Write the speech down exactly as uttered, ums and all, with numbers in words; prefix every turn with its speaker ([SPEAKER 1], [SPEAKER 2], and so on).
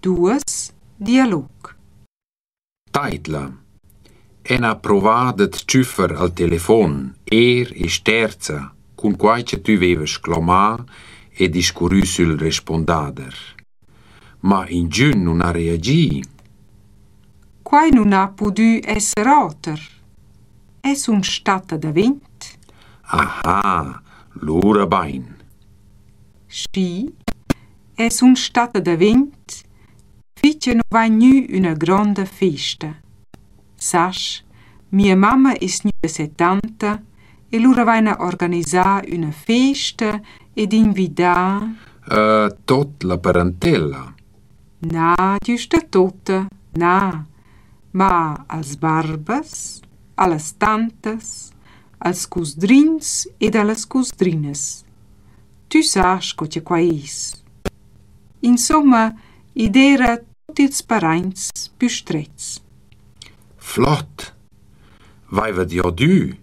[SPEAKER 1] Duos, dialog.
[SPEAKER 2] Taidla, eu n'ha provà da't tschüffer al telefon eir e sterza cun quai cha tü vaivast clomà e discurrü sül respondader. Ma ingün nun ha reagi.
[SPEAKER 1] Quai nun ha pudü esser oter. Eu sun statta davent.
[SPEAKER 2] Aha, lura bain.
[SPEAKER 1] Schi, eu sun statta davent fin cha no vain gnü üna gronda festa. Sast, mia mamma es gnüda settanta e lura vaina organisà üna festa ed invidà
[SPEAKER 2] Uh, tuot la parantella.
[SPEAKER 1] Na, güsta tuotta, na, ma als barbas, a las tantas, als cusdrins ed a las cusdrinas. Tü sast co cha quai es. Insomma, i d'eira tuot ils paraints plü strets.
[SPEAKER 2] Flot. Vaivat giodü?